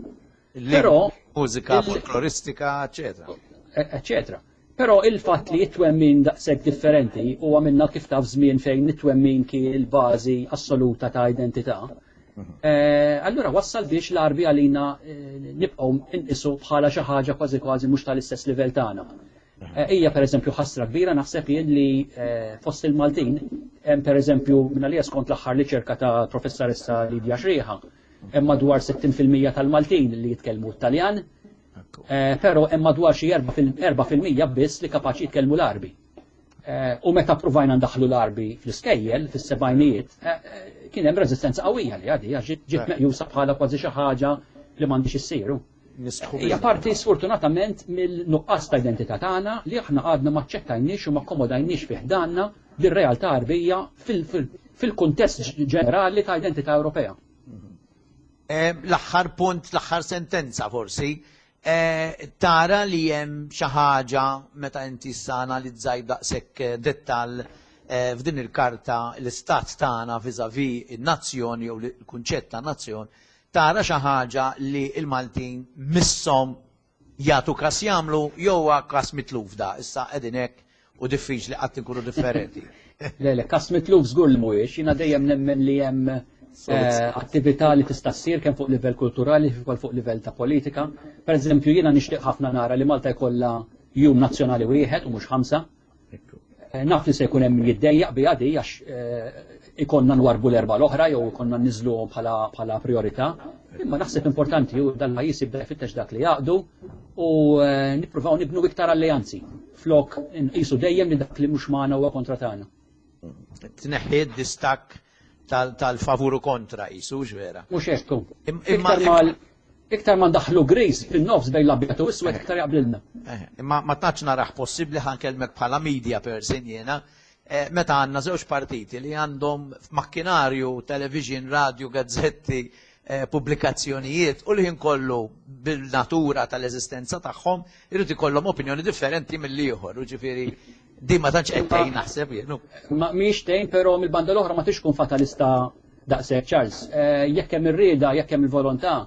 Il-lingwa, Però mużika il- folkloristika, eccetera. E-, eccetera. Però il-fatt li it-twemmin daqshekk differenti huwa minna kif taf żmien fejn it-twemmin kien il-bażi assoluta ta' identità. Eh, allura wassal biex l-Arbi għalina, eh, nibqgħu inqisu bħala xi ħaġa kważi kważi mhux tal-istess livell tagħna. Eh, hija pereżempju ħasra kbira naħseb jien li, eh, fost il-Maltin hemm pereżempju minn għalija skont l-aħħar riċerka ta' professoressa Lidja Xrieħa, hemm madwar sittin fil-mija tal-Maltin li jitkellmu t-Taljan, eh, però hemm madwar xi erba' fil-, erba' fil-mija biss li kapaċi jitkellmu l-Arbi. Eh, u meta provajna ndaħlu l-Arbi fl-iskejjel fis-sebgħinijiet, eh, eh, kien hemm reżistenza qawwija li għadi, għax ġiet, ġiet meqjusa bħala kważi xi ħaġa li m'għandix issiru. Nistħu Hija biha. parti sfortunatament mill-nuqqas ta' identità tagħna li aħna għadna ma aċċettajniex u ma akkomodajniex fi ħdanna dir-realtà Arbija fil-, fil-, fil-kuntest ġenerali ta' identità Ewropea. Eh, l-aħħar punt, l-aħħar sentenza forsi, eh, tara li hemm xi ħaġa meta inti issa analizzaj daqshekk, eh, dettall, eh, f'din il-karta l-istat tagħna vis-à-vis in-nazzjon jew l-kunċett ta' nazzjon, Tara xi ħaġa li l-Maltin misshom jagħtu kas jagħmlu jew kas mitluf da, issa qegħdin hekk u diffiċli qatt inkunu differenti. Le, le, kas mitluf żgur li mhuwiex, jiena dejjem nemmen li hemm eh, attività li tista' ssir kemm fuq livell kulturali kif ukoll fuq livell ta' politika. Per eżempju, jiena nixtieq ħafna nara li Malta jkollha jum nazzjonali wieħed u mhux ħamsa. Eh, naf li se jkun hemm min jiddejjaq biha di għax eh, ikonna nwarbu l-erba l-oħra jew ikonna niżluhom bħala bħala priorità. Imma naħseb importanti u dal-pajjiż jibda jfittex dak li jaqdu u eh, nippruvaw nibnu iktar alleanzi flok nqisu dejjem li dak li mhux magħna huwa kontra tagħna. Tneħħi d-distakk tal-favur u kontra qisu vera. Mhux hekk. Imma iktar ma ndaħlu gris fin-nofs bejn l-abjad u iswed iktar jaqblilna. Imma ma tantx naraħ possibbli ħa nkellmek bħala media person jiena, meta għandna żewġ partiti li għandhom f'makkinarju, television, radio, gazzetti, pubblikazzjonijiet u li ħin kollu bil-natura tal-eżistenza tagħhom irid ikollhom opinjoni differenti mill-ieħor, ġifieri di ma tantx qed tgħin naħseb jien. Ma mhix tgħin, però mill-banda l-oħra ma tix tkun fatalista daqshekk Charles. Jekk hemm ir-rieda, jekk hemm il-volontà,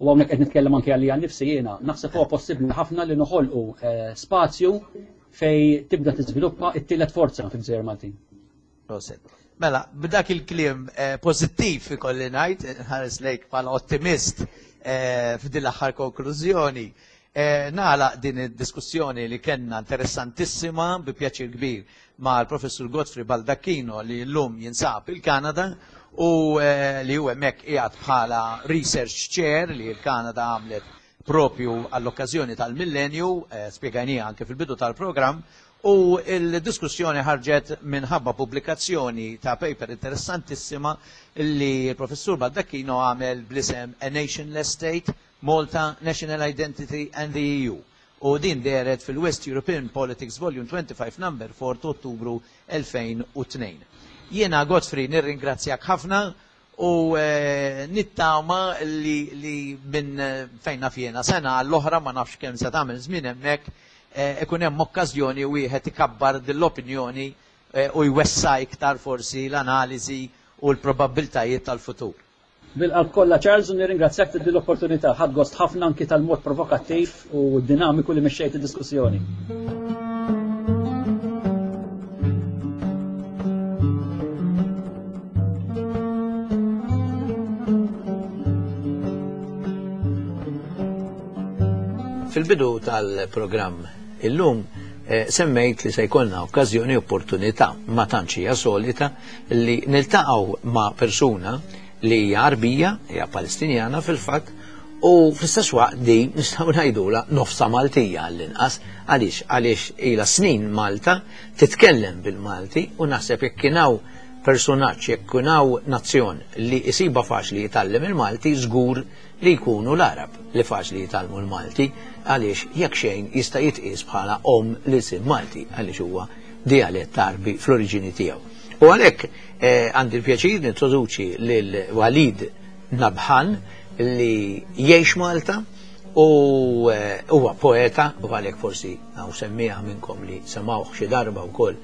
u hawnhekk qed nitkellem anke għalija nnifsi jiena, naħseb huwa possibbli ħafna li noħolqu spazju fej tibda tiżviluppa t-tielet forza fil-Gżejjer Maltin. Proset. Mela, b'dak il-kliem pożittiv ikolli ngħid, nħares lejk bħala ottimist f'din l-aħħar konklużjoni, nagħlaq din id-diskussjoni li kellna interessantissima bi pjaċir kbir mal-Professur Godfrey Baldacchino li llum jinsab il-Kanada u li hu hemmhekk qiegħed bħala research chair li l-Kanada għamlet propju għall-okkażjoni tal-millenju, spjegajnija anke fil-bidu tal-programm, u il-diskussjoni ħarġet minħabba pubblikazzjoni ta' paper interessantissima li l-Professur Baldacchino għamel bl-isem A Nationless State, Malta, National Identity and the E U. U din dehret fil-West European Politics Volume twenty-five Number four ta' Ottubru elfejn u tnejn. Jiena Godfrey nirringrazzjak ħafna u nittama li, li minn fejn naf jiena sena għall-oħra ma nafx kemm se tagħmel żmien hemmhekk ikun hemm okkażjoni wieħed ikabbar din l-opinjoni u jwessa iktar forsi l-analiżi u l-probabbiltajiet tal-futur. Bil-qalb kollha Charles, u nirringrazzjak ta' din l-opportunità. Ħadt gost ħafna anki tal-mod provokattiv u dinamiku li mexxejt id-diskussjoni. Fil-bidu tal-programm illum semmejt li se jkollna okkażjoni opportunità ma tantx hija solita li niltaqgħu ma' persuna li hija Arbija, hija Palestinjana fil-fatt, u fl-istess waqt di nistgħu ngħidulha nofsa Maltija għall-inqas, għaliex għaliex ilha snin Malta titkellem bil-Malti u naħseb jekk kien hawn personaġġ, jekk kien hawn nazzjon li jsiba faċli jitgħallem il-Malti, żgur li jkunu l-Arab li faċli jitgħallmu l-Malti, għaliex jekk xejn jista' jitqies bħala om l-isem Malti għaliex huwa dialett Arbi fl-oriġini tiegħu. U għalhekk għandi l-pjaċir nintroduċi lil Walid Nabhan li jgħix Malta u huwa poeta, u għalhekk forsi hawn semmieha minnkom li semgħuh xi darba wkoll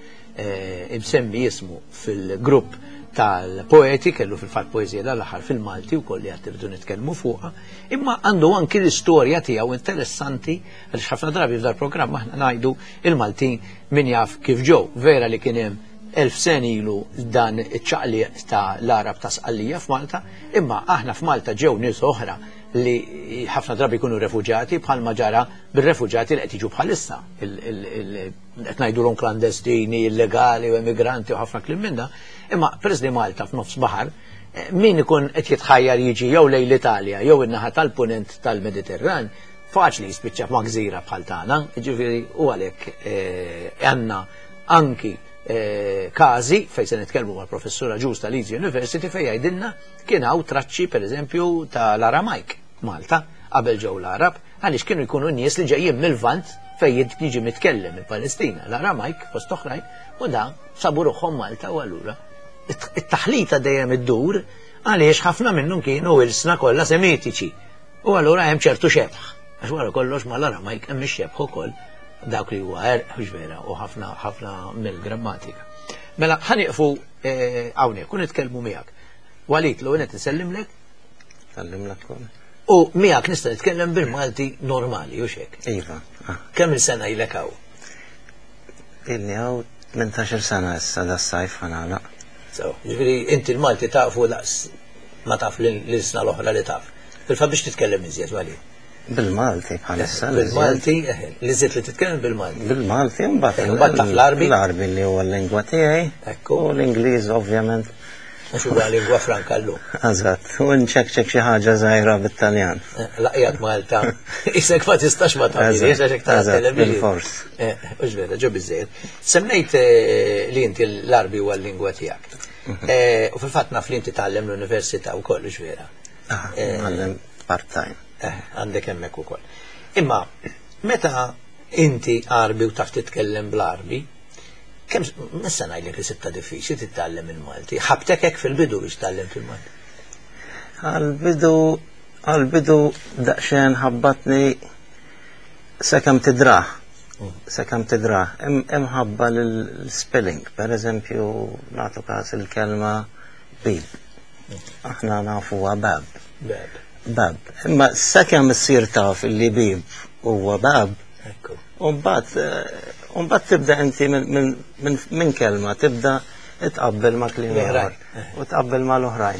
imsemmi jismu fil-grupp tal-poeti, kellu fil-fatt poeżija dal-aħħar fil-Malti wkoll li qed irridu nitkellmu fuqha, imma għandu anki l-istorja tiegħu interessanti għaliex ħafna drabi f'dal programm aħna ngħidu il-Maltin min jaf kif ġew, vera li kien hemm elf sen ilu dan iċ-ċaqliq ta' l-Arab ta' Sqallija f'Malta, imma aħna f'Malta ġew nies oħra li ħafna drabi jkunu refuġati bħalma ġara bir-refuġati li qed jiġu bħalissa, qed ngħidulhom klandestini, illegali u emigranti u ħafna kliem minn da, imma peress li Malta f'nofs baħar, min ikun qed jitħajjar jiġi jew lejn l-Italja jew in-naħa tal-punent tal-Mediterran, faċli jispiċċa ma' gżira bħal tagħna, jiġifieri u għalhekk għandna anki każi fejn se nitkellmu mal-professura Ġus tal-Leeds University fejn jgħidilna kien hawn traċċi pereżempju tal-Aramajk Malta qabel ġew l-Arab, għaliex kienu jkunu nies li ġejjin mill-Lvant fejn jiġi mitkellem il-Palestina, l-Aramajk fost oħrajn, u da sabu ruħhom Malta u allura it-taħlita dejjem iddur għaliex ħafna minnhom kienu ilsna kollha semitiċi u allura hemm ċertu xebħ, għax wara kollox mal-Aramajk hemm ix-xebħ ukoll dawk li huwa erq, mhux vera, u ħafna ħafna mill-grammatika. Mela ħaniqfu hawnhekk u nitkellmu miegħek. Walid, l-ewwel qed insellimlek, Sallimlek ukoll. U miegħek nista' nitkellem bil-Malti normali, u xek. Iva. Ah. Kemm il-sena ilek hawn? Ilni hawn tmintax-il sena issa das-sajf ħanagħlaq. So, ġifieri inti l-Malti tafu daqs ma taf l-sna l-oħra li taf. Fil-fatt biex titkellem iżjed, Wali. Bil-Malti bħalissa. Bil-Malti, li żied li titkellem bil-Malti. Bil-Malti, mbagħad mbagħad taf l-Arbi. L-Arbi li huwa l-lingwa tiegħi. Ekku. U l-Ingliż ovvjament. Għax huwa lingwa franka llum. Eżatt, u nċekċek xi ħaġa żgħira bit-Taljan. Laqjat Malta. Isek ma tistax ma tagħmel, għax hekk tara television. Bil-fors. Hux vera, ġo biżejjed. Semmejt li inti l-Arbi huwa l-lingwa tiegħek. U fil-fatt naf li inti tgħallem l-università wkoll, hux vera. Ngħallem part-time. Għandek hemmhekk ukoll. Imma meta inti Arbi u taf titkellem bl-Arbi, kemm nista' ngħidlek li sibta diffiċli titgħallem il-Malti. Ħabtek hekk fil-bidu biex tgħallem fil-Malti. Għal-bidu għal-bidu daqsxejn ħabbatni sakemm tidrah. Sakemm tidrah. Imħabba l-spelling, per eżempju, nagħtu każ il-kelma bib. Aħna nafuha bab. Bab. Bab. Imma sakemm issir taf li bib huwa bab. Ekku. U mbagħad Umbat tibda inti minn kelma, tibda tqabbel ma' kliem ieħor u tqabbel ma' l-oħrajn.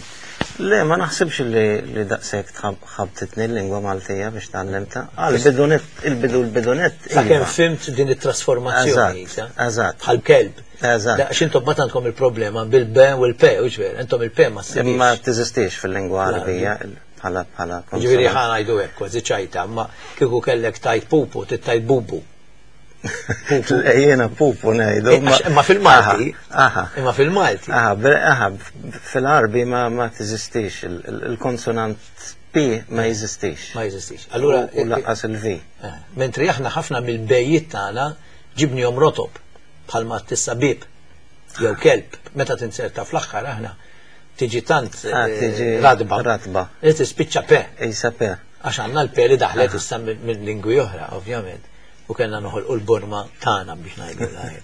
Le, ma naħsibx li daqshekk ħabtitni l-lingwa Maltija biex tgħallimtha. Għal-bidunet, il-bidu l-bidunet. Sakemm fimt din it-trasformazzjoni. Eżatt. Bħal kelb. Eżatt. Għax intom ma tantkom il-problema bil-B u l-P, u ġver, intom il-P ma ssibx. Ma teżistix fil-lingwa Arabija. Bħala bħala. Ġifieri ħa ngħidu hekk kważi ċajta, ma kieku kellek tajt pupu, tittajt bubu. Jiena pupu ngħidu. Imma fil-Malti. Imma fil-Malti. Aha, fil-Arbi ma teżistix, il-konsonant P ma jeżistix. Ma jeżistix. Allura u lanqas il-V. Mentri aħna ħafna mill-bejjiet tagħna ġibnihom rotob bħalma tissa bib jew kelb meta tinserta fl-aħħar aħna tiġi tant radba. Radba. Li tispiċċa P. Isa P. Għax għandna l-P li daħlet issa minn lingwi oħra, ovvjament. U kellna noħolqu l-Burma tagħna biex ngħidu l-ħajja.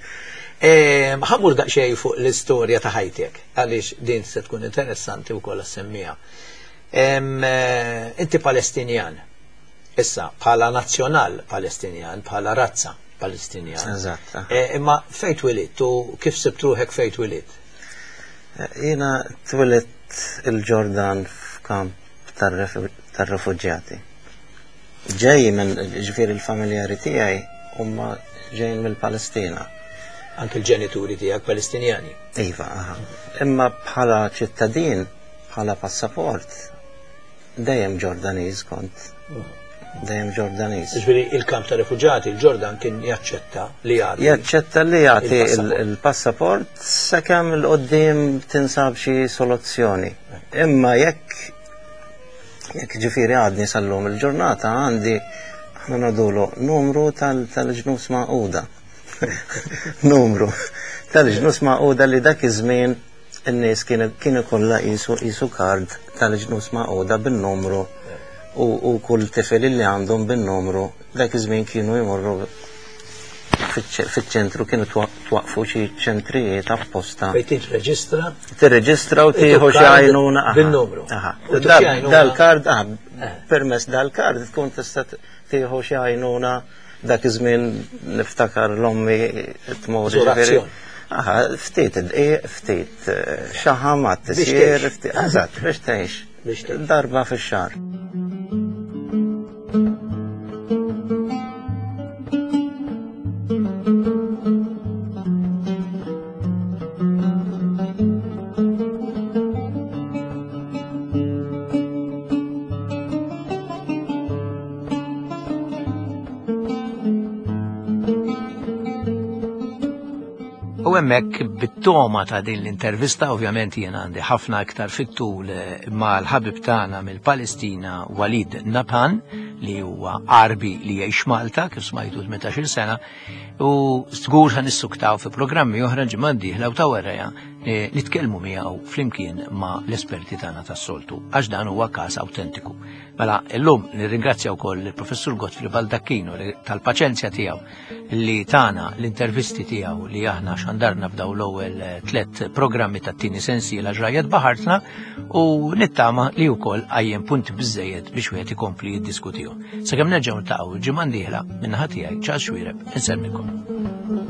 Ħammur daqsxejn fuq l-istorja ta' ħajtek, għaliex din se tkun interessanti wkoll semmija. Inti Palestinjan, issa bħala nazzjonal Palestinjan, bħala razza Palestinjan. Eżatt. Imma fejn twilidt u kif sibt ruħek fejn twilidt? Jiena twilidt il-Ġordan f'kamp tar-refuġjati. Ġej minn ġifieri l-familjari tiegħi huma ġejjin mill-Palestina. Anke l-ġenituri tiegħek Palestinjani. Iva, aha. Imma bħala ċittadin, bħala passaport, dejjem Ġordaniż kont. Dejjem Ġordaniż. Ġifieri il-kamp ta' refuġjati, il-Ġordan kien jaċċetta li jagħti. Jaċċetta li jagħti il-passaport sakemm il qudiem tinsab xi soluzzjoni. Imma jekk Jekk ġifieri għadni sal-lum il-ġurnata għandi aħna ngħidulu numru tal-ġnus Magħquda. Numru tal-ġnus Magħquda li dak iż-żmien in-nies kienu kollha qisu kard tal-ġnus Magħquda bin-numru u kull tifel li għandhom bin-numru dak iż-żmien kienu jmorru fiċ-ċentru, kienu twaqfu xi ċentrijiet apposta. Fejn tirreġistra? Tirreġistra u tieħu xi għajnuna. Bin-numru. Dal-kard, permess dal-kard tkun tista' tieħu xi għajnuna dak iż-żmien niftakar l-ommi tmur. Aha, ftit id-dqiq, ftit xaħam għat-tisjir, ftit. Eżatt, biex tgħix. Darba fix-xahar. U hemmhekk bit-toma ta' din l-intervista, ovvjament jien għandi ħafna iktar fit-tul mal-ħabib tagħna mill-Palestina Walid Nabhan, li huwa Arbi li jgħix Malta kif smajtu tmintax-il sena, u żgur ħa nissuktaw fi programmi oħra ġimgħa d-dieħla u ta' warajha eh, nitkellmu miegħu flimkien ma' l-esperti tagħna tas-soltu, għax dan huwa każ awtentiku. Mela llum nirringrazzja wkoll il-Professur Godfrey Baldacchino tal-paċenzja tiegħu li tana l-intervisti tiegħu li aħna xandarna f'daw l-ewwel eh, tliet programmi tat-tieni sensiela Ġrajjet Baħartna u nittama li wkoll qajjem punti biżejjed biex wieħed ikompli jiddiskutihom. Sakemm nerġgħu niltaqgħu ġimgħa dieħla, min-naħa tiegħi, Charles Xuereb, insellmilkom.